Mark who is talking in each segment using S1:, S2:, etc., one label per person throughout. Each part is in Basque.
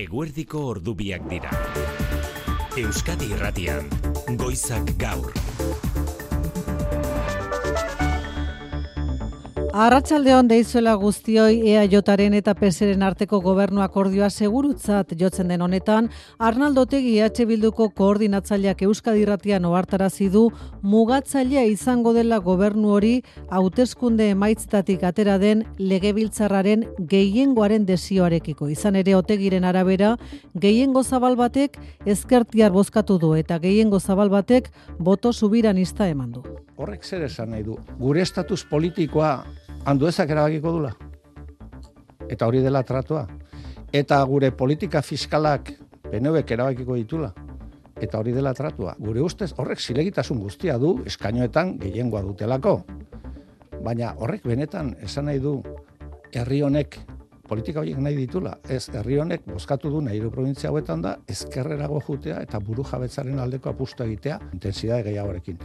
S1: Eguerdiko ordubiak dira. Euskadi Irratian, Goizak Gaur.
S2: Arratsaldeon deizuela guztioi EAJaren eta PSren arteko gobernu akordioa segurutzat jotzen den honetan, Arnaldo Otegi Bilduko koordinatzaileak Euskadi Irratian ohartarazi du mugatzailea izango dela gobernu hori hauteskunde emaitzetatik atera den legebiltzarraren gehiengoaren desioarekiko. Izan ere Otegiren arabera, gehiengo zabal batek ezkertiar bozkatu du eta gehiengo zabal batek boto subiranista eman du.
S3: Horrek zer esan nahi du? Gure estatus politikoa handuezak erabakiko dula. Eta hori dela tratua. Eta gure politika fiskalak PNVek erabakiko ditula. Eta hori dela tratua. Gure ustez horrek zilegitasun guztia du eskainoetan gehiengoa dutelako. Baina horrek benetan esan nahi du herri honek politika horiek nahi ditula. Ez, herri honek bozkatu du nahi provintzia hauetan da ezkerrerago jutea eta buru jabetzaren aldeko apustu egitea intentsitate gehiagorekin.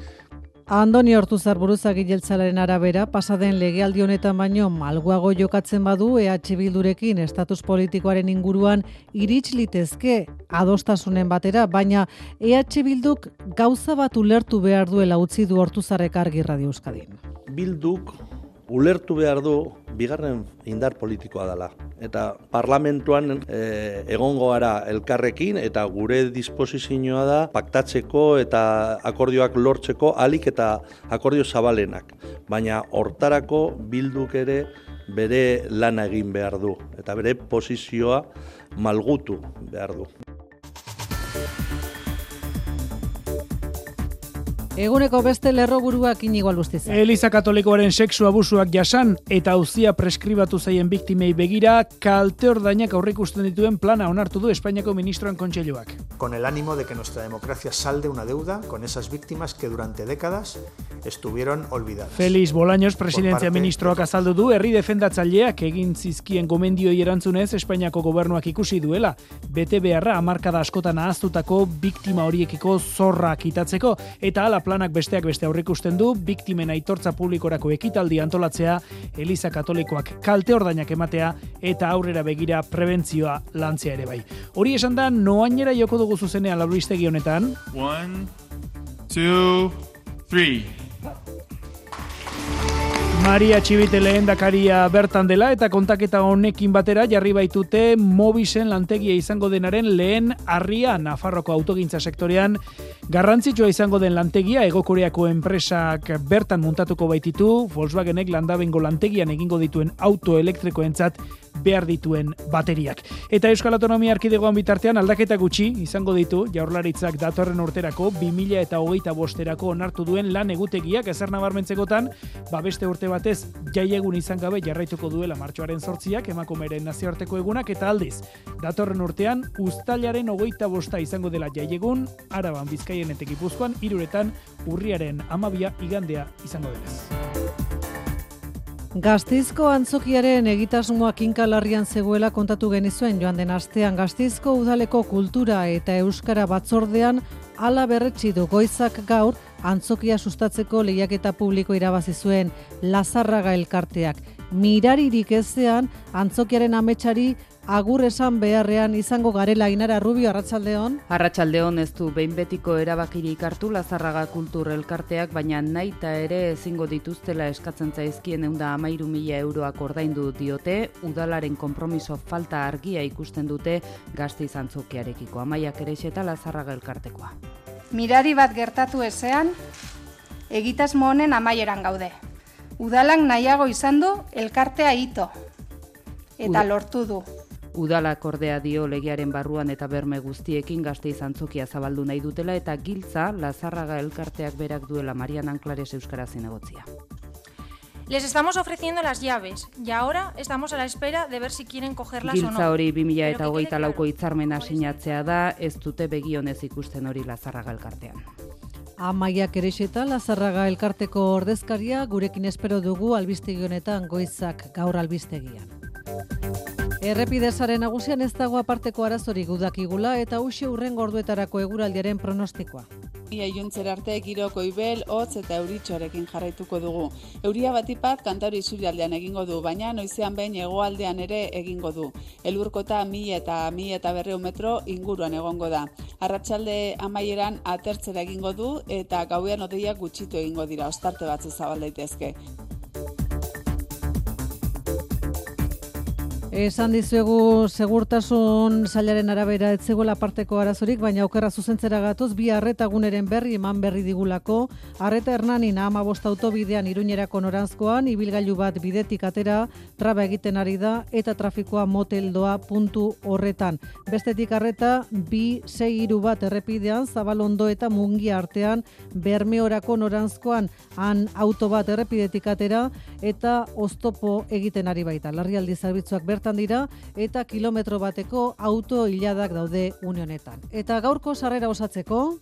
S2: Andoni Ortuzar buruzagi jeltzalaren arabera, pasaden legealdi honetan baino malguago jokatzen badu Bildurekin estatus politikoaren inguruan irits litezke adostasunen batera, baina Bilduk gauza bat ulertu behar duela utzi du Ortuzarrek argi Radio Euskadin.
S4: Bilduk ulertu behar du bigarren indar politikoa dela. Eta parlamentuan egongo gara elkarrekin eta gure disposizioa da paktatzeko eta akordioak lortzeko ahalik eta akordio zabalenak. Baina hortarako Bilduk ere bere lana egin behar du eta bere posizioa malgutu behar du.
S2: Eguneko beste lerroburuak Inigo Albustiza.
S5: Eliza Katolikoaren sexu abusuak jasan eta auzia preskribatu zaien biktimei begira kalte ordainak aurreikusten dituen plana onartu du Espainiako ministroen kontseiluak.
S6: Con el ánimo de que nuestra democracia salde una deuda con esas víctimas que durante décadas estuvieron olvidadas.
S5: Félix Bolaños presidentzia ministroak azaldu du herri defendatzaileak egin zizkien gomendioi erantzunez Espainiako gobernuak ikusi duela bete beharra hamarkada askotan ahaztutako biktima horiekiko zorra kitatzeko eta hala planak besteak beste aurreikusten du biktimen aitortza publikorako ekitaldi antolatzea, Eliza Katolikoak kalte ordainak ematea eta aurrera begira prebentzioa lantzea ere bai. Hori esan da noainera joko dugu zuzenean albistegi honetan.
S7: 1, 2, 3.
S5: Maria Txibite lehendakaria bertan dela eta kontaketa honekin batera jarri baitute Mobisen lantegia izango denaren lehen harria Nafarroko autogintza sektorean. Garrantzitsua izango den lantegia Hego Koreako enpresak bertan muntatuko baititu, Volkswagenek Landabengo lantegian egingo dituen auto elektrikoentzat behar dituen bateriak. Eta Euskal Autonomia Erkidegoan bitartean aldaketa gutxi izango ditu Jaurlaritzak datorren urterako 2025erako onartu duen lan egutegiak ezer nabarmentzekotan, beste urte batez jaiegun izan gabe jarraituko duela martxoaren 8ak emakumeren nazioarteko egunak eta aldiz. Datorren urtean uztailaren 25 izango dela jaiegun, Araban, Bizkaian eta Gipuzkoan, 3 urriaren 12 igandea izango denez.
S2: Gasteizko antzokiaren egitasmoa kinkalarrian zegoela kontatu genizuen joan den astean Gasteizko udaleko kultura eta euskara batzordean hala berretsi du Goizak Gaur antzokia sustatzeko lehiaketa publiko irabazi zuen Lazarraga elkarteak. Miraririk ezean antzokiaren ametsari agur esan beharrean izango garela. Ainara Rubio, arratsaldeon.
S8: Arratsaldeon, ez du behin betiko erabakirik hartu Lazarraga kultur elkarteak, baina nahita ere ezingo dituztela eskatzen zaizkien 113.000 euroak ordaindu diote, udalaren konpromiso falta argia ikusten dute Gasteiz antzokiarekiko. Amaia Kerexeta Lazarraga elkartekoa.
S9: Mirari bat gertatu ezean, egitasmo honen amaieran gaude. Udalak nahiago izan du elkartea ito eta lortu du.
S8: Udalak ordea dio legearen barruan eta berme guztiekin Gasteiz antzokia zabaldu nahi dutela eta giltza Lazarraga elkarteak berak duela Marian Anklares euskaraz zinegotzia.
S10: Les estamos ofreciendo las llaves y ahora estamos a la espera de ver si quieren cogerlas o no.
S8: Giltza hori 2024ko hitzarmena sinatzea da, ez dute begionez ikusten hori Lazarraga elkartean.
S2: Amaia Kerexeta Lazarraga elkarteko ordezkaria gurekin espero dugu albistegi honetan Goizak Gaur albistegian. Errepidezaren nagusian ez dago aparteko arazorik udakigula eta uxe hurrengo orduetarako eguraldiaren pronostikoa.
S11: Ia iluntzer arte giro goibel, hotz eta euritxorekin jarraituko dugu. Euria batipat kantauri isurialdean egingo du, baina noizean behin hegoaldean ere egingo du. Elurkota 1000 eta 1200 metro inguruan egongo da. Arratsalde amaieran atertzera egingo du eta gauean hodeiak gutxitu egingo dira, ostarte batzu zabal daitezke.
S2: Esan dizuegu segurtasun sailaren arabera ez zegoela parteko arazorik, baina okerra zuzentzera gatoz bi arreta guneren berri eman berri digulako. Arreta Hernanin 15 autobidean Iruñerako noranzkoan ibilgailu bat bidetik atera, traba egiten ari da eta trafikoa moteldoa puntu horretan. Bestetik arreta 263 bat errepidean Zabalondo eta Mungia artean Bermeorako noranzkoan han auto bat errepidetik atera eta oztopo egiten ari baita. Larrialdi zerbitzuak bertan dira eta kilometro bateko auto hiladak daude une honetan. Eta gaurko sarrera osatzeko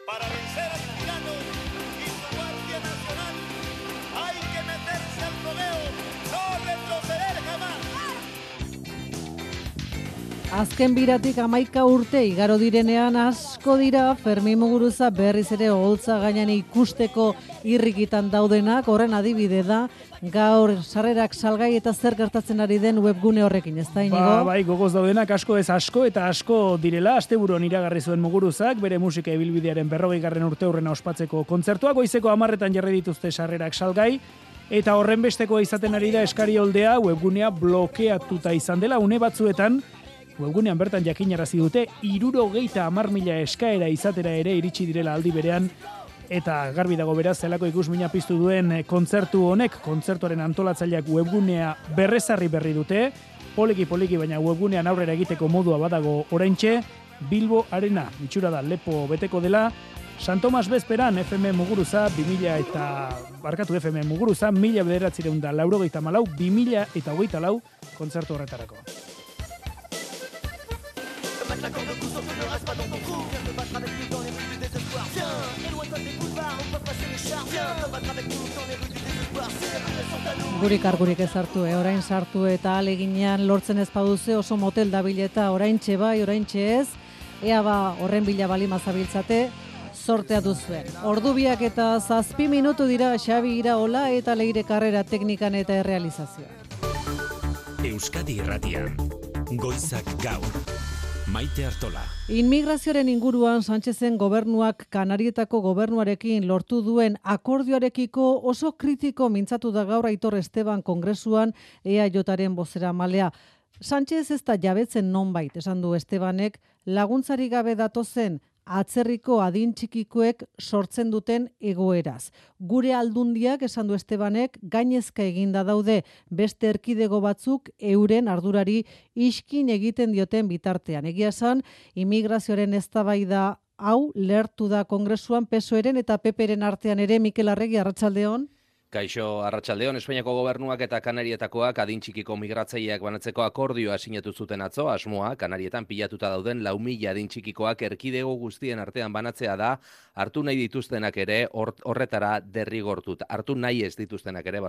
S12: para vencer al tirano y su guardia nacional hay que meterse al rodeo, no retroceder jamás.
S2: Azken biratik 11 urte igaro direnean asko dira Fermin Muguruza berriz ere oholtza gainean ikusteko irrikitan daudenak, horren adibide da gaur sarrerak salgai eta zer gertatzen ari den webgune horrekin, ez da Inigo?
S5: Bai, gogoz daudenak asko ez asko eta asko direla. Asteburuan iragarri zuen Muguruzak bere musika ibilbidearen 40. urteurrena ospatzeko kontzertua, goizeko 10 jarri dituzte sarrerak salgai. Eta horren bestekoa izaten ari da eskari oldea webgunea blokeatuta izan dela une batzuetan. Webgunean bertan jakinarazi dute 70.000 eskaera izatera ere iritsi direla aldi berean eta garbi dago beraz zelako ikusmina piztu duen kontzertu honek. Kontzertuaren antolatzaileak webgunea berrezarri berri dute, poliki baina webgunean aurrera egiteko modua badago oraintxe. Bilbo Arena itxura da lepo beteko dela. San Tomas bezperan FM Muguruza 1984 2084 kontzertu horretarako.
S12: La corde pousse, on ne reste pas dans ton trou. Viens te battre avec nous dans les rues du désespoir. Viens, éloigne-toi des boulevards, on peut passer les chars. Viens te battre avec nous dans les rues du désespoir. Ces rues sont à nous.
S2: Gurik ezartu, orain sartu eta aleginean lortzen ez baduze oso motel dabileta oraintxe bai, oraintxe ez. Ea ba horren bila balima zabiltzate, sortea duzuen. Ordubiak eta 7 minutu dira Xabi Iraola eta Leire Karrera teknikan eta errealizazioa.
S1: Euskadi Irratian, goizak gaur. Maite Artola.
S2: Inmigrazioaren inguruan Sánchezen gobernuak Kanarietako gobernuarekin lortu duen akordioarekiko oso kritiko mintzatu da gaur Aitor Esteban kongresuan EAJaren bozeramalea. Sánchez ez da jabetzen nonbait, esan du Estebanek, laguntzari gabe datozen atzerriko adin txikikoek sortzen duten egoeraz. Gure aldundiak, esan du Estebanek, gainezka eginda daude beste erkidego batzuk euren ardurari iskin egiten dioten bitartean. Egia esan, immigrazioaren eztabaida hau lertu da kongresuan PSOEren eta PPren artean ere. Mikel Arregi, arratsaldeon.
S13: Kaixo, arratsaldeon, Espainiako gobernuak eta Kanarietakoak adin txikiko migratzaileak banatzeko akordioa sinatu zuten atzo. Asmoa, Kanarietan pilatuta dauden 4.000 adin txikikoak erkidego guztien artean banatzea da, hartu nahi dituztenak ere horretara derrigortuta. Hartu nahi ez dituztenak ere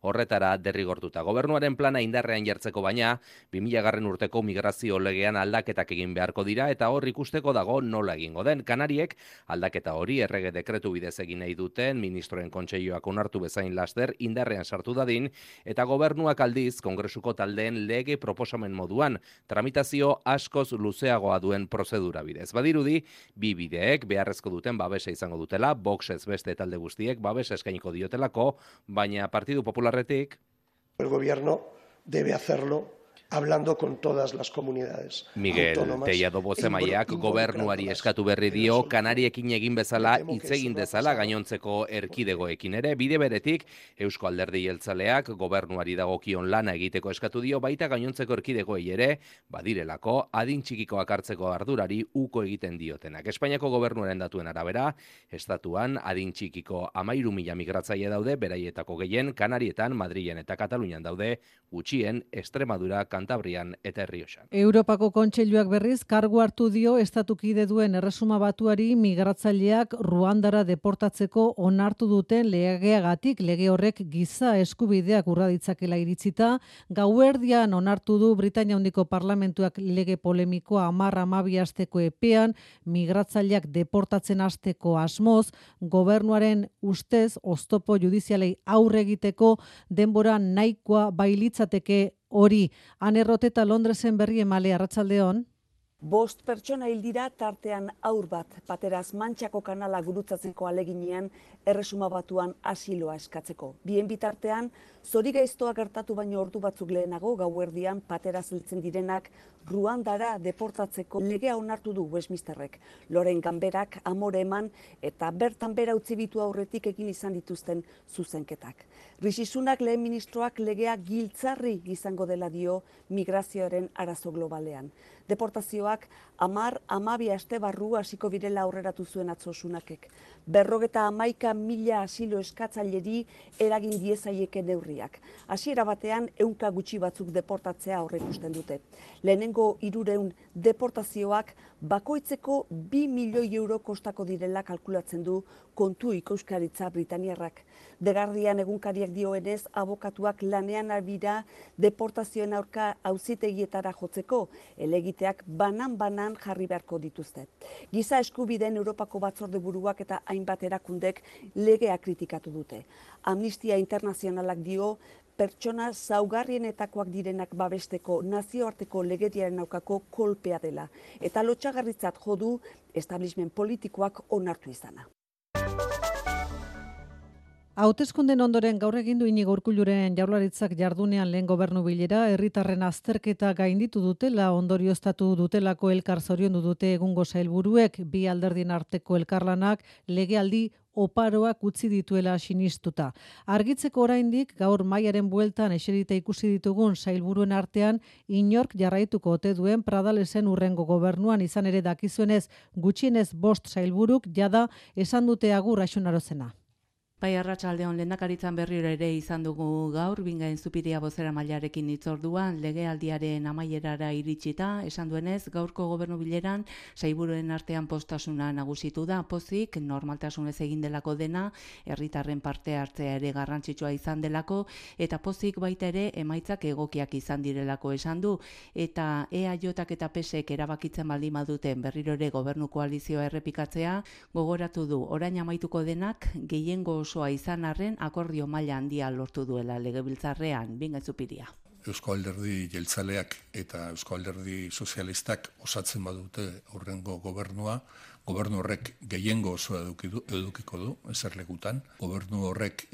S13: horretara derrigortuta. Gobernuaren plana indarrean jartzeko baina, 2000. urteko migrazio legean aldaketak egin beharko dira eta hor ikusteko dago nola egingo den. Kanariek aldaketa hori errege dekretu bidez egin nahi duten, ministroen kontseiluak onartu bezain laster indarrean sartu dadin, eta gobernuak aldiz kongresuko taldeen lege proposamen moduan tramitazio askoz luzeagoa duen prozedura bidez. Badirudi, bi bideek beharrezko duten babesa izango dutela, Voxez beste talde guztiek babesa eskainiko diotelako, baina Partidu Popularretik
S14: el gobierno debe hacerlo hablando con todas las comunidades.
S13: Miguel Tellado bozemaileak gobernuari eskatu berri dio Kanariekin egin bezala hitz egin dezala gainontzeko erkidegoekin ere. Bide beretik Eusko Alderdi Jeltzaleak gobernuari dagokion lana egiteko eskatu dio, baita gainontzeko erkidegoei ere badirelako adin txikikoak hartzeko ardurari uko egiten diotenak. Espainiako gobernuaren datuen arabera, estatuan adin txikiko 13.000 migratzaile daude, beraietako gehien Kanarietan, Madrilen eta Katalunian daude, gutxien Extremadura, Kantabrian eta Errioxan.
S2: Europako Kontseiluak berriz kargu hartu dio estatukide duen Erresuma Batuari migratzaileak Ruandara deportatzeko onartu duten legeagatik. Lege horrek giza eskubideak urra ditzakela iritzita, gauerdian onartu du Britainia Handiko Parlamentuak lege polemikoa 10-12 asteko epean migratzaileak deportatzen hasteko asmoz, gobernuaren ustez oztopo judizialei aurre egiteko denbora nahikoa bailitzateke hori. Anerroteta Londresen berri emale, arratsaldeon.
S15: 5 pertsona hil dira tartean haur bat, pateraz Mantxako kanala gurutzatzeko aleginean Erresuma Batuan asiloa eskatzeko. Bien bitartean, zorigaiztoa gertatu baino ordu batzuk lehenago gauerdian pateraz heltzen direnak Ruandara deportatzeko legea onartu du Westminsterrek. Loren Ganberak amore eman eta bertan bera utzi bitu aurretik egin izan dituzten zuzenketak. Rishi Sunak lehen ministroak legea giltzarri izango dela dio migrazioaren arazo globalean. Deportazioak 10-12 aste barru hasiko birela aurreratu zuen atzo Sunakek. 51.000 asilo eskatzaileri eragin diezaieke neurriak. Hasiera batean 100 gutxi batzuk deportatzea aurreikusten dute. Lehenengo 300 deportazioak bakoitzeko 2 milioi euro kostako direla kalkulatzen du kontu ikuskaritza Britaniarrak. The Guardian egunkariak dioenez, abokatuak lanean abira deportazioen aurka auzitegietara jotzeko, helegiteak banan-banan jarri beharko dituzte. Giza eskubideen Europako batzorde buruak eta hainbat erakundek legea kritikatu dute. Amnistia Internazionalak dio, pertsona zaugarrienetakoak direnak babesteko nazioarteko legediaren aurkako kolpea dela, eta lotsagarritzat jo du establishment politikoak onartu izana.
S2: Hauteskunden ondoren gaur egin du Inigo Urkulluren Jaurlaritzak jardunean lehen gobernu bilera, herritarren azterketa gainditu dutela, ondorioztatu dutelako elkar zoriondu dute egungo sailburuek, bi alderdien arteko elkarlanak legealdi oparoak utzi dituela sinistuta. Argitzeko oraindik gaur mailaren bueltan eserita ikusi ditugun sailburuen artean inork jarraituko ote duen Pradalesen urrengo gobernuan, izan ere dakizuenez gutxienez 5 sailburuk jada esan dute agur Axunarozena.
S8: Bai, arratsaldeon lehendakaritzan berriro ere izan dugu gaur, Bingain Zupiria bozera mailarekin hitzorduan, legealdiaren amaierara iritsita, esan duenez, gaurko gobernu bileran, sailburuen artean postasuna nagusitu da, pozik, normaltasunez egin delako dena, herritarren parte hartzea ere garrantzitsua izan delako, eta pozik baita ere emaitzak egokiak izan direlako esan du, eta EAJak eta PSek erabakitzen baldin baduten berriro ere gobernu koalizioa errepikatzea, gogoratu du, orain amaituko denak, gehiengo osoa izan arren akordio maila handia lortu duela legebiltzarrean, Bingain Zupiria.
S16: Eusko Alderdi Jeltzaleak eta Eusko Alderdi Sozialistak osatzen badute aurrengo gobernua, gobernu horrek gehiengo osoa edukiko du, eserlekutan, gobernu horrek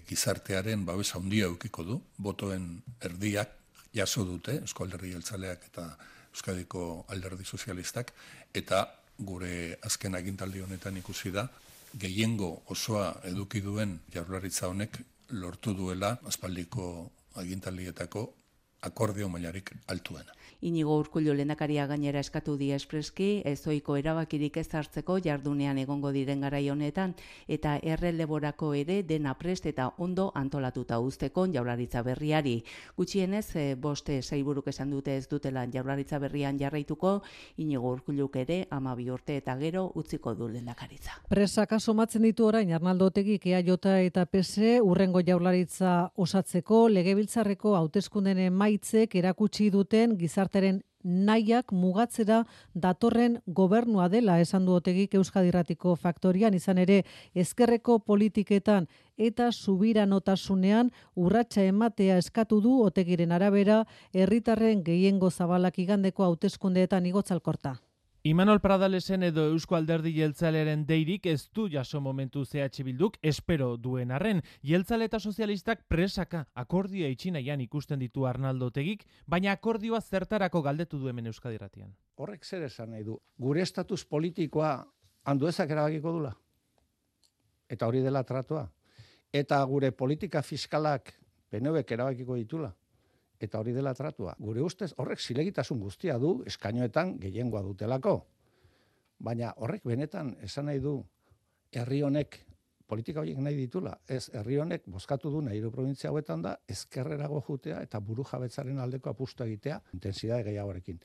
S16: gizartearen babes handia edukiko du, botoen erdiak jaso dute, Eusko Alderdi Jeltzaleak eta Euskadiko Alderdi Sozialistak, eta gure azken agintaldi honetan ikusi da, gehiengo osoa eduki duen Jaurlaritza honek lortu duela aspaldiko agintaldietako akordio mailarik altuena.
S8: Inigo Urkullu lehendakaria gainera eskatu die espreski, ezoiko erabakirik ez hartzeko jardunean egongo diren garai honetan, eta erreleborako ere dena prest eta ondo antolatuta uzteko Jaurlaritza berriari. Gutxienez, 5 sailburuk esan dute ez dutela Jaurlaritza berrian jarraituko, Inigo Urkulluk ere 12 urte eta gero utziko du lehendakaritza.
S2: Presak asomatzen ditu orain Arnaldo Otegik EAJ eta PS urrengo Jaurlaritza osatzeko, legebiltzarreko hauteskunden emaitzek erakutsi duten gizartearen nahiak mugatzera datorren gobernua dela, esan du Otegik Euskadi Irratiko Faktorian, izan ere ezkerreko politiketan eta subiranotasunean urratsa ematea eskatu du Otegiren arabera herritarren gehiengo zabalak igandeko hauteskundeetan Igotzalkorta.
S17: Imanol Pradalesen edo Eusko Alderdi Jeltzalearen deirik ez du jaso momentu CH Bilduk espero duen arren. Jeltzale eta sozialistak presaka akordioa itxinaian ikusten ditu Arnaldo Otegik, baina akordioa zertarako galdetu du hemen Euskadi Irratian.
S3: Horrek zer esan nahi du? Gure estatus politikoa Anduezak erabakiko dula. Eta hori dela tratua. Eta gure politika fiskalak PNVek erabakiko ditula. Eta hori dela tratua. Gure ustez horrek zilegitasun guztia du, eskainoetan gehiengoa dutelako. Baina horrek benetan esan nahi du herri honek politika horiek nahi ditula. Ez, herri honek bozkatu du hiru probintzia hauetan da, ezkerrerago jutea eta buru jabetzaren aldeko apustu egitea, intentsitate gehiagorekin.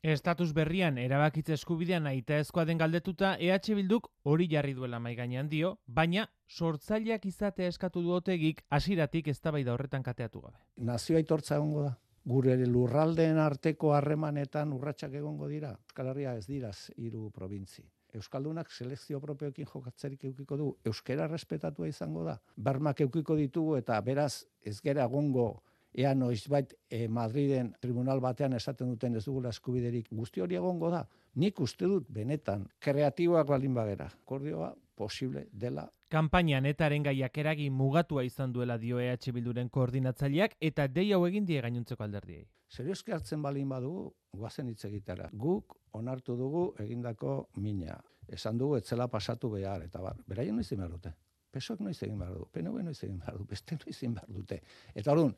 S17: Estatus berrian erabakitze eskubidea nahitaezkoa den galdetuta EH Bilduk hori jarri duela mahai gainean dio, baina sortzaileak izatea eskatu du Otegik hasieratik eztabaida horretan kateatu gabe.
S3: Nazio aitortza egongo da. Gure lurraldeen arteko harremanetan urratsak egongo dira. Euskal Herria ez dira 3 probintzi. Euskaldunak selekzio propioekin jokatzerik eukiko du. Euskara respetatua izango da. Bermak eukiko ditugu eta beraz ez gera egongo ea noizbait Madriden tribunal batean esaten duten ez dugula eskubiderik. Guzti hori egongo da. Nik uste dut benetan kreatiboak baldin bagera. Akordioa posible dela.
S17: Kanpainan etaren gaiak eragin mugatua izan duela dio EH Bilduren koordinatzaileak eta dei hau egin die gainontzeko alderdiei.
S3: Serioski hartzen baldin badugu, guazen hitz egitera. Guk onartu dugu egindako mina. Esan dugu etzela pasatu behar, eta beraien noiz egin behar dute. PSOek noiz egin behar du, PNV noiz egin behar du, beste noiz egin behar dute. Eta orduan,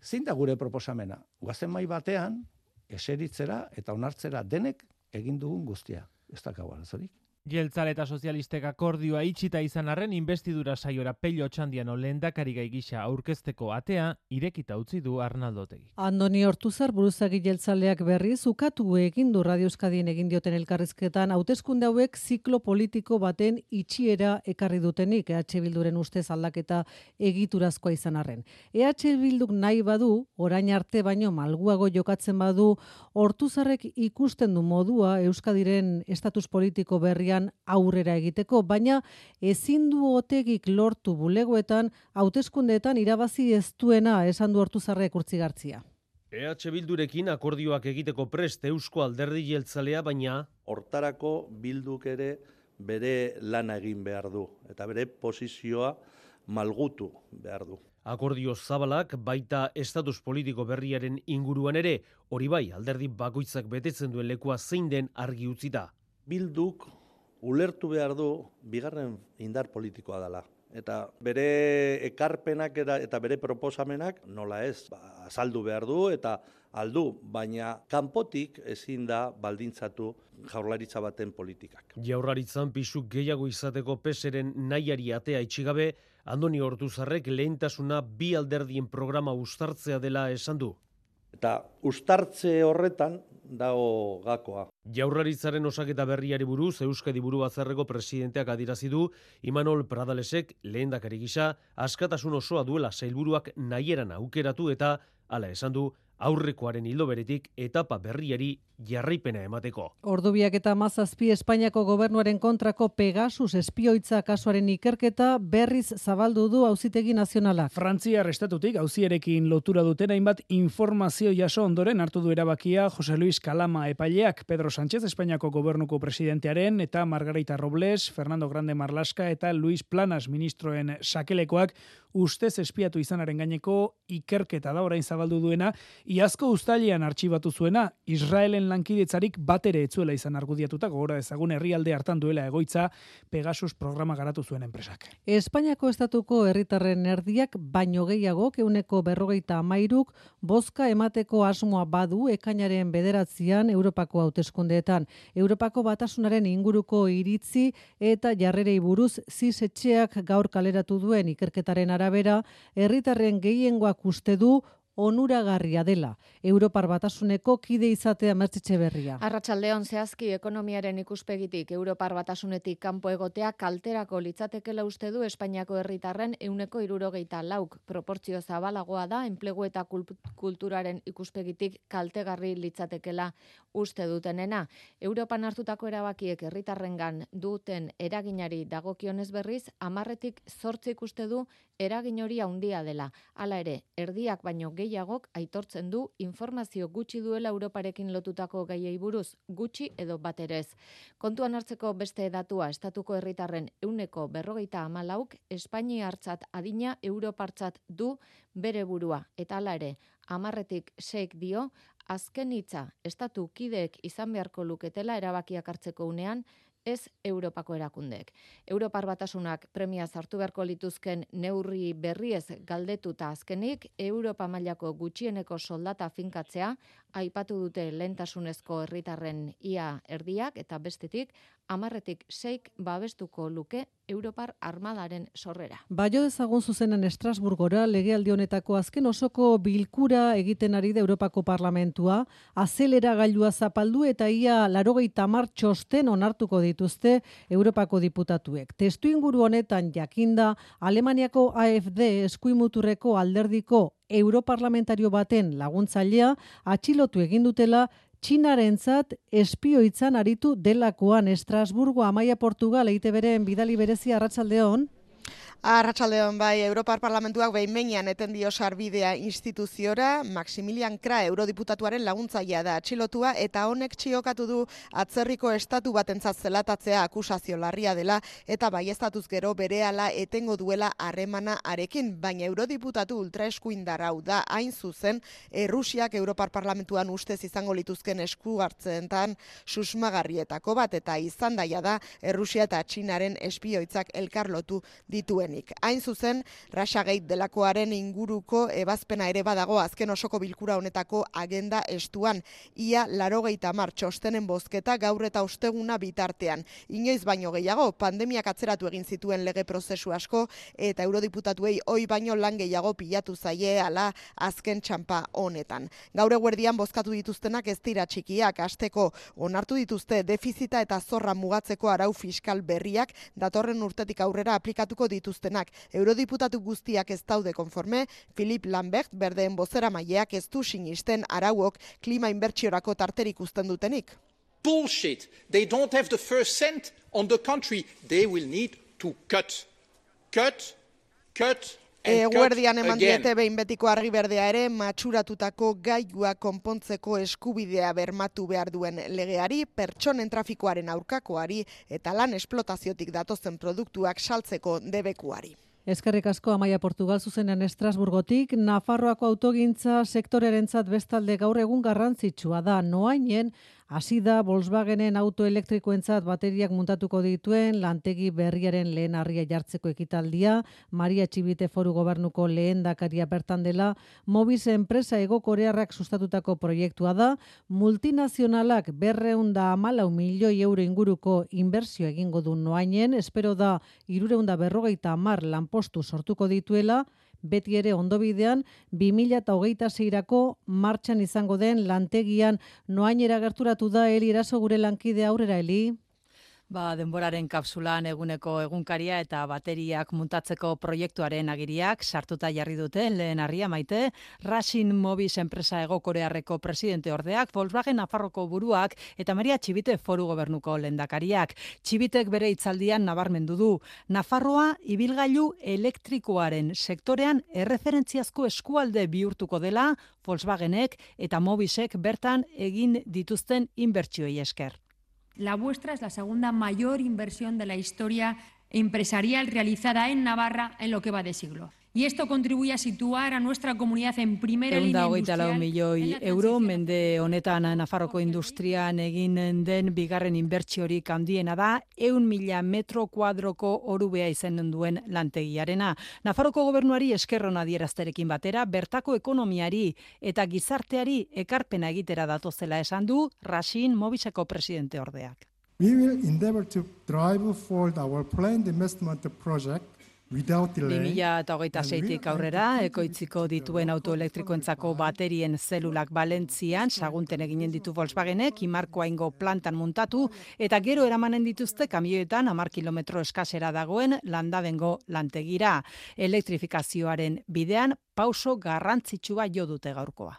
S3: zein da gure proposamena? Guazen mai batean, eseritzera eta onartzera denek egin dugun guztia. Ez dakau arazorik.
S17: Jeltzale eta sozialistek akordioa itxita izan arren investidura saiora Pello Otxandiano lehendakari gai gisa aurkezteko atea irekita utzi du Arnaldo Otegi.
S2: Andoni Ortuzar buruzagi jeltzaleak berriz ukatu egin du Radio Euskadin egin dioten elkarrizketan hauteskunde hauek ziklo politiko baten itxiera ekarri dutenik EH Bilduren ustez aldaketa egiturazkoa izan arren. EH Bilduk nahi badu, orain arte baino malguago jokatzen badu, Ortuzarrek ikusten du modua Euskadiren estatus politiko berrian aurrera egiteko, baina ezin du Otegik lortu bulegoetan hauteskundeetan irabazi ez duena esan du Ortuzarrek Urtzigartzia.
S18: EH Bildurekin akordioak egiteko prest Eusko Alderdi Jeltzalea, baina
S4: hortarako Bilduk ere bere lana egin behar du eta bere posizioa malgutu behar du.
S18: Akordio zabalak baita estatus politiko berriaren inguruan ere, hori bai alderdi bakoitzak betetzen duen lekua zein den argi utzita.
S4: Bilduk ulertu behar du bigarren indar politikoa dela. Eta bere ekarpenak eta bere proposamenak nola ez, azaldu behar du eta aldu, baina kanpotik ezin da baldintzatu jaurlaritza baten politikak.
S18: Jaurlaritzan pisu gehiago izateko PSren nahiari atea itxigabe, Andoni Ortuzarrek lehentasuna bi alderdien programa uztartzea dela esan du.
S4: Eta uztartze horretan dago gakoa.
S18: Jaurlaritzaren osaketa berriari buruz Euskadi Buru Batzarreko presidenteak adierazi du Imanol Pradalesek lehendakari gisa askatasun osoa duela sailburuak nahieran aukeratu eta hala esan du aurrekoaren ildo beretik etapa berriari jarraipena emateko.
S2: Ordubiak eta 17 Espainiako gobernuaren kontrako Pegasus espioitza kasuaren ikerketa berriz zabaldu du Auzitegi Nazionalak.
S5: Frantziar estatutik auzierekin lotura duten hainbat informazio jaso ondoren hartu du erabakia Jose Luis Calama epaileak, Pedro Sánchez Espainiako gobernuko presidentearen eta Margarita Robles, Fernando Grande Marlaska eta Luis Planas ministroen sakelekoak ustez espiatu izanaren gaineko ikerketa da orain zabaldu duena, iazko uztailean artxibatu zuena, Israelen lankidetzarik batere etzuela izan argudiatuta, gogora ezagun herrialde hartan duela egoitza Pegasus programa garatu zuen enpresak.
S2: Espainiako estatuko herritarren erdiak baino gehiago 43%k bozka emateko asmoa badu ekainaren 9 Europako hauteskundeetan. Europako batasunaren inguruko iritzi eta jarrerei buruz zisetxeak gaur kaleratu duen ikerketaren arabera, herritarren gehiengoak uste du onuragarria dela. Europar Batasuneko kide izatea Mertxetxe Berria.
S19: Arratsaldeon zehazki ekonomiaren ikuspegitik Europar Batasunetik kanpo egotea kalterako litzatekela uste du Espainiako herritarren 74%. Proportzio zabalagoa da enplegu eta kulturaren ikuspegitik kaltegarri litzatekela uste dutenena. Europan hartutako erabakiek herritarrengan duten eraginari dagokionez berriz 10tik 8 uste du eragin hori handia dela. Hala ere, erdiak baino gehiagok aitortzen du informazio gutxi duela Europarekin lotutako gaiei buruz, gutxi edo baterez. Kontuan hartzeko beste datua estatuko herritarren 44%k Espainiartzat adina Europartzat du bere burua. Eta hala ere, 10tik 6 dio, azken hitza estatu kideek izan beharko luketela erabakiak hartzeko unean, ez Europako erakundeek. Europar Batasunak premia sartu beharko lituzken neurri berriez galdetuta azkenik, Europa mailako gutxieneko soldata finkatzea, aipatu dute lehentasunezko herritarren ia erdiak eta bestetik 10-6 babestuko luke Europar Armadaren sorrera.
S2: Baio dezagun zuzenen Estrasburgora legealdi honetako azken osoko bilkura egiten ari da Europako Parlamentua, azeleragailua zapaldu eta ia 80 txosten onartuko dituzte Europako diputatuek. Testuinguru honetan jakinda Alemaniako AfD eskuimuturreko alderdiko europarlamentario baten laguntzailea atxilotu egin dutela Txinarentzat espioitzan aritu delakoan. Estrasburgo, Amaia Portugal, EITBren bidali berezia, arratsaldeon.
S20: Arratsaldeon, bai, Europar Parlamentuak behin-behinean eten dio sarbidea instituziora. Maximilian Krah eurodiputatuaren laguntzailea da atxilotua eta honek txiokatu du atzerriko estatu batentzat zelatatzea akusazio larria dela eta baieztatuz gero berehala etengo duela harremana arekin, baina eurodiputatu ultraeskuindar hau da hain zuzen Errusiak Europar Parlamentuan ustez izango lituzken esku hartzeentan susmagarrietako bat eta izan daia da Errusia eta Txinaren espioitzak elkarlotu dituen. Hain zuzen, Russiagate delakoaren inguruko ebazpena ere badago azken osoko bilkura honetako agenda estuan. Ia 80 txostenen bozketa gaur eta osteguna bitartean. Inoiz baino gehiago, pandemiak atzeratu egin zituen lege prozesu asko eta eurodiputatuei ohi baino lan gehiago pilatu zaie ala azken txanpa honetan. Gaur eguerdian bozkatu dituztenak ez dira txikiak, asteko onartu dituzte defizita eta zorra mugatzeko arau fiskal berriak datorren urtetik aurrera aplikatuko dituztenak. Eurodiputatu guztiak ez daude konforme, Philip Lambert berdeen bozeramaileak ez du sinisten arauok klima inbertsiorako tarterik uzten dutenik.
S21: Bullshit. They don't have the first cent on the country. They will need to cut.
S20: Eguerdian eman diete behin betiko argi berdea ere matxuratutako gailua konpontzeko eskubidea bermatu behar duen legeari, pertsonen trafikoaren aurkakoari eta lan esplotaziotik datozen produktuak saltzeko debekuari.
S2: Eskerrik asko, Amaia Portugal, zuzenean Estrasburgotik. Nafarroako autogintza sektorearentzat bestalde gaur egun garrantzitsua da. Noainen hasi da Volkswagenen auto elektrikoentzat bateriak muntatuko dituen lantegi berriaren lehen harria jartzeko ekitaldia. Maria Txibite Foru Gobernuko lehendakaria bertan dela. Mobis enpresa Hego Korearrak sustatutako proiektua da. Multinazionalak 214 milioi euro inguruko inbertsio egingo du Noainen. Espero da 350 lanpostu sortuko dituela. Beti ere ondobidean 2026rako martxan izango den lantegian. Noainera gerturatu da Eli Eraso gure lankide, aurrera Eli.
S22: Denboraren kapsulan eguneko egunkaria eta bateriak muntatzeko proiektuaren agiriak sartuta jarri dute lehen harria Maite. Rasin Mobis enpresa Hego Korearreko presidente ordeak, Volkswagen Nafarroko buruak eta Maria Txibite Foru Gobernuko lehendakariak. Txibitek bere hitzaldian nabarmendu du. Nafarroa ibilgailu elektrikoaren sektorean erreferentziazko eskualde bihurtuko dela Volkswagenek eta Mobisek bertan egin dituzten inbertsioei esker.
S23: La vuestra es la segunda mayor inversión de la historia empresarial realizada en Navarra en lo que va de siglo. Y esto contribuye a situar a nuestra comunidad en primera línea industrial.
S22: 124 milioi euro mende honetan Nafarroko industrian egin den bigarren inbertsiorik handiena da, 100.000 metro kuadroko orubea izen duen lantegiarena. Nafarroko gobernuari eskerron adierazterekin batera, bertako ekonomiari eta gizarteari ekarpena egitera datozela esan du Rasin Mobiseko presidente ordeak.
S24: We will endeavor to drive forward our planned investment project
S22: 2026tik aurrera, ekoitziko dituen autoelektrikoentzako baterien zelulak Valentzian, Sagunten eginen ditu Volkswagenek, Imarkoaingo plantan muntatu, eta gero eramanen dituzte kamioetan 10 kilometro eskasera dagoen Landabengo lantegira. Elektrifikazioaren bidean pauso garrantzitsua jo dute gaurkoa.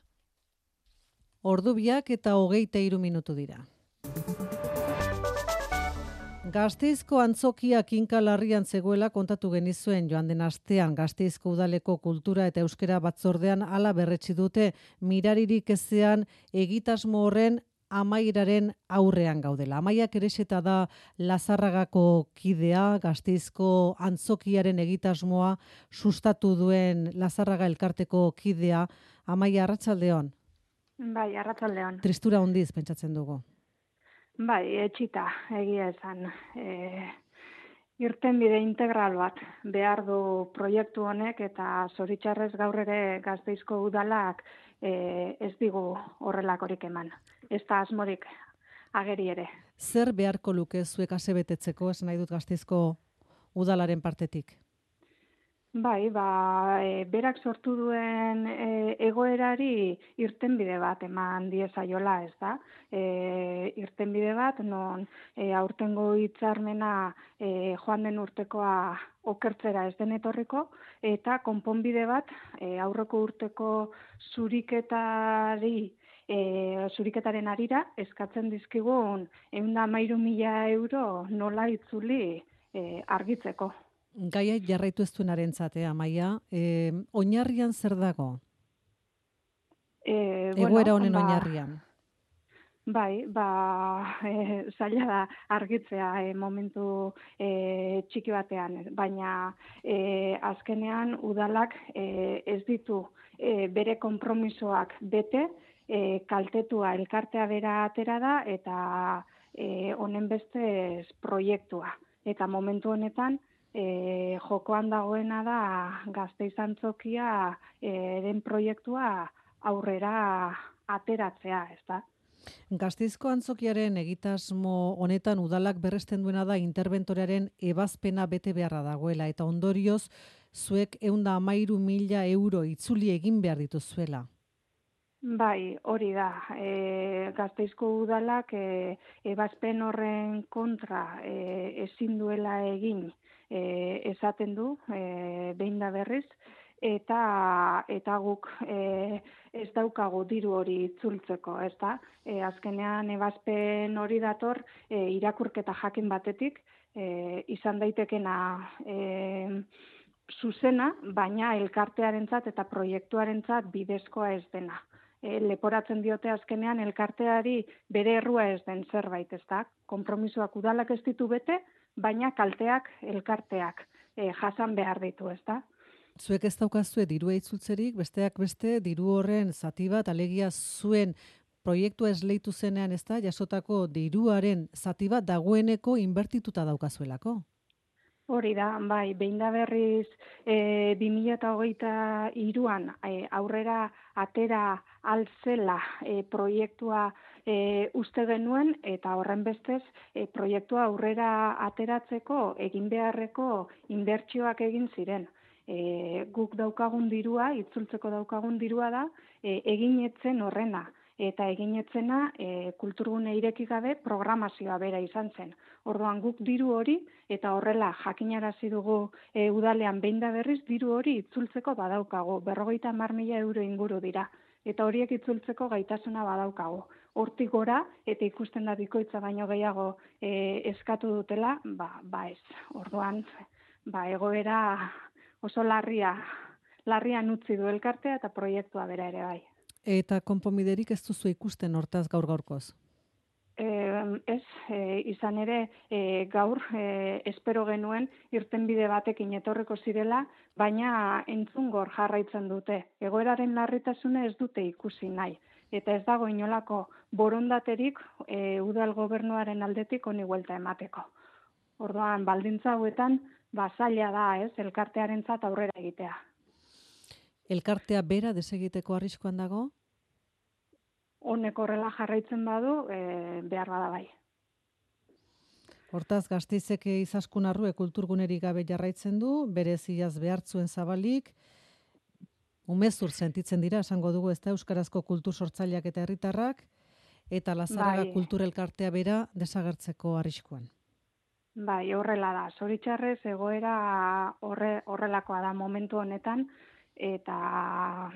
S2: Ordubiak eta 23 minutu dira. Gasteizko antzokia kinka larrian zegoela kontatu genizuen joan den astean. Gasteizko udaleko kultura eta euskera batzordean hala berretsi dute, miraririk ezean egitasmo horren amaieraren aurrean gaudela. Amaiak Erexeta da Lazarragako kidea, Gasteizko antzokiaren egitasmoa sustatu duen Lazarraga elkarteko kidea. Amaia, arratsaldeon.
S25: Bai, arratsaldeon.
S2: Tristura handiz pentsatzen dugu.
S25: Bai, etxita, egia esan. Irtenbide integral bat behar du proiektu honek eta zoritxarrez gaur ere Gasteizko udalak ez digu horrelakorik eman. Ez da asmorik ageri ere.
S2: Zer beharko luke zuek asebetetzeko, esan nahi dut Gasteizko udalaren partetik?
S25: Bai, berak sortu duen egoerari irtenbide bat eman diezaiola, ez da? Irtenbide bat, non aurtengo hitzarmena joan den urtekoa okertzera ez den etorriko, eta konponbide bat aurreko urteko zuriketaren arira eskatzen dizkigun 113.000 euro nola itzuli argitzeko.
S2: Gaia jarraitu ez duenarentzat, Amaia, oinarrian zer dago? Egoera honen oinarrian.
S25: Bai, zaila da argitzea momentu txiki batean, baina azkenean udalak ez ditu bere konpromisoak bete, kaltetua elkartea bera atera da eta honen bestez proiektua. Eta momentu honetan jokoan dagoena da Gasteiz antzokia den proiektua aurrera ateratzea, ez da?
S2: Gasteizko antzokiaren egitasmo honetan udalak berresten duena da interbentorearen ebazpena bete beharra dagoela eta ondorioz zuek 113.000 euro itzuli egin behar dituzuela.
S25: Bai, hori da. Gasteizko udalak ebazpen horren kontra ezin duela egin esaten du, behin da berriz, eta guk ez daukagu diru hori itzultzeko, ez da? Azkenean ebazpen hori dator irakurketa jakin batetik, izan daitekena zuzena, baina elkartearentzat eta proiektuarentzat bidezkoa ez dena. Leporatzen diote azkenean elkarteari bere errua ez den zerbait, ez da? Konpromisoak udalak ez ditu bete, baina kalteak elkarteak jasan behar ditu, ez da?
S2: Zuek ez daukazue dirua itzultzerik, besteak beste diru horren zati bat, alegia zuen proiektua esleitu zenean, ez da, jasotako diruaren zati bat dagoeneko inbertituta daukazuelako.
S25: Hori da, bai, behin da berriz 2023an aurrera atera altzela proiektua uste genuen eta horren bestez proiektua aurrera ateratzeko egin beharreko inbertsioak egin ziren. Guk daukagun dirua, itzultzeko daukagun dirua da, egin etzen horrena. Eta egin etzena kulturgune ireki gabe programazioa bera izan zen. Orduan guk diru hori eta horrela jakinarazi dugu udalean behin da berriz diru hori itzultzeko badaukagu. 50.000 euro inguru dira. Eta horiek itzultzeko gaitasuna badaukagu. Hortik gora eta ikusten da bikoitza baino gehiago eskatu dutela, ez. Orduan, egoera oso larrian utzi du elkartea eta proiektua bera ere bai.
S2: Eta konponbiderik ez duzu ikusten hortaz gaur-gaurkoz?
S25: Ez, izan ere gaur espero genuen irtenbide batekin etorreko zirela, baina entzungor jarraitzen dute. Egoeraren larritasuna ez dute ikusi nahi. Eta ez dago inolako borondaterik udal gobernuaren aldetik honi buelta emateko. Orduan, baldintza hauetan, zaila da, ez, elkartearentzat aurrera egitea.
S2: Elkartea bera desegiteko arriskoan dago?
S25: Honek horrela jarraitzen badu, behar bada bai.
S2: Hortaz, Gasteizek Izaskun Arrue kulturgunerik gabe jarraitzen du, bereziaz behartzuen zabalik, umezur sentitzen dira, esango dugu, ez da Euskarazko kultur sortzaileak eta herritarrak, eta Lazarraga kulturelkartea bera desagertzeko arriskuan.
S25: Bai, horrela da. Zoritxarrez egoera horrelakoa da momentu honetan, eta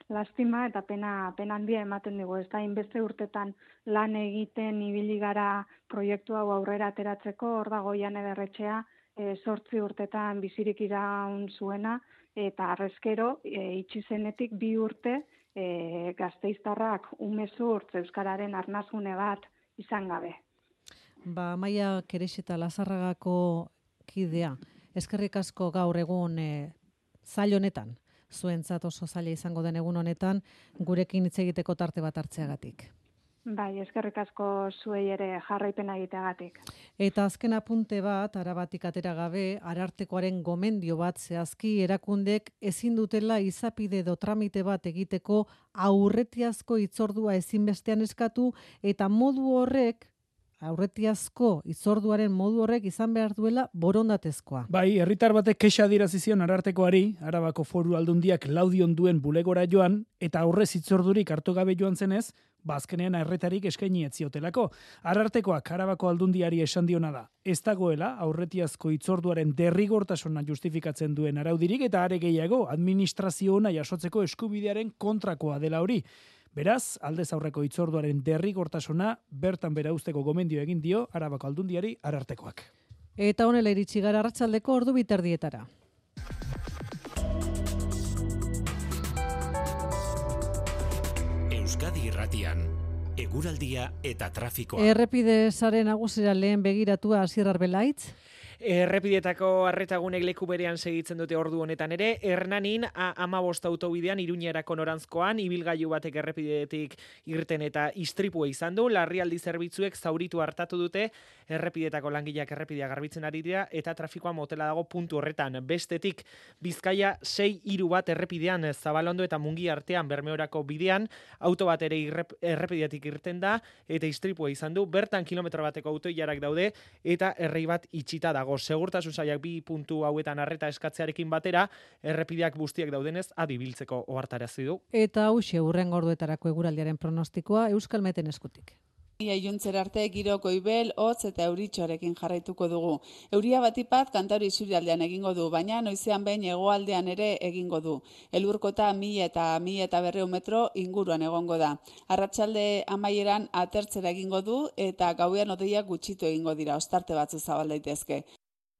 S25: lastima eta pena handia ematen dugu. Ez da, inbeste urtetan lan egiten ibili gara proiektu hau aurrera ateratzeko, hor dago Jane Berretxea 8 urtetan bizirik iraun zuena, eta arrezkero itxi zenetik 2 urte gasteiztarrak umezurtz euskararen arnazgune bat izan gabe.
S2: Amaia Kerexeta Lazarragako kidea, eskerrik asko gaur egun zail honetan, zuentzat oso zaila izango den egun honetan, gurekin hitz egiteko tarte bat hartzeagatik.
S25: Bai, eskerrik asko zuei ere jarraipena egiteagatik.
S2: Eta azken apunte bat, arabatik atera gabe, Arartekoaren gomendio bat zehazki erakundek ezin dutela izapide edo tramite bat egiteko aurretiazko hitzordua ezinbestean eskatu eta modu horrek aurretiazko hitzorduaren modu horrek izan behar duela borondatezkoa.
S5: Bai, herritar batek kexa adierazi zion Arartekoari, Arabako Foru Aldundiak laudion duen bulegora joan eta aurrez hitzordurik hartu gabe joan zenez, bazkenean erretarik eskaini ez ziotelako. Arartekoak Arabako Aldundiari esan diona da. Ez dagoela aurretiazko hitzorduaren derrigortasuna justifikatzen duen araudirik eta are gehiago administrazio ona jasotzeko eskubidearen kontrakoa dela hori. Beraz, aldez aurreko hitzorduaren derrigortasuna bertan bera uzteko gomendio egin dio Arabako Aldundiari Arartekoak.
S2: Eta honela iritsi gara arratsaldeko 2:30.
S1: Euskadi Irratian, eguraldia eta trafikoa.
S2: Errepide sare nagusira lehen begiratua Asier Arbelaitz.
S6: Errepideetako arretagunek leku berean segitzen dute ordu honetan ere, Hernanin A15 autobidean Iruñerako noranzkoan ibilgailu batek errepidetik irten eta istripua izan du, larrialdi zerbitzuek zauritu hartatu dute, errepideetako langileak errepidea garbitzen ari dira eta trafikoa motela dago puntu horretan. Bestetik Bizkaia 6-3 bat errepidean Zabalondo eta Mungi artean Bermeorako bidean, auto bat ere errepidetik irten da eta istripua izan du, bertan kilometro bateko autoilarak daude eta errei bat itxita dago. Segurtasun sailak 2 puntu hauetan arreta eskatzearekin batera, errepideak guztiak daudenez adibiltzeko ohartarazi du.
S2: Eta hauxe hurrengo orduetarako eguraldiaren pronostikoa Euskalmeten eskutik.
S7: Iluntzera arte giro goibel, hotz eta euritxoarekin jarraituko dugu. Euria batipat Kantauri isurialdean egingo du, baina noizean behin hegoaldean ere egingo du. Elurkota 1000 eta 1200 metro inguruan egongo da. Arratsalde amaieran atertzera egingo du eta gauean hodeiak gutxitu egingo dira, ostarte batzu zabal daitezke.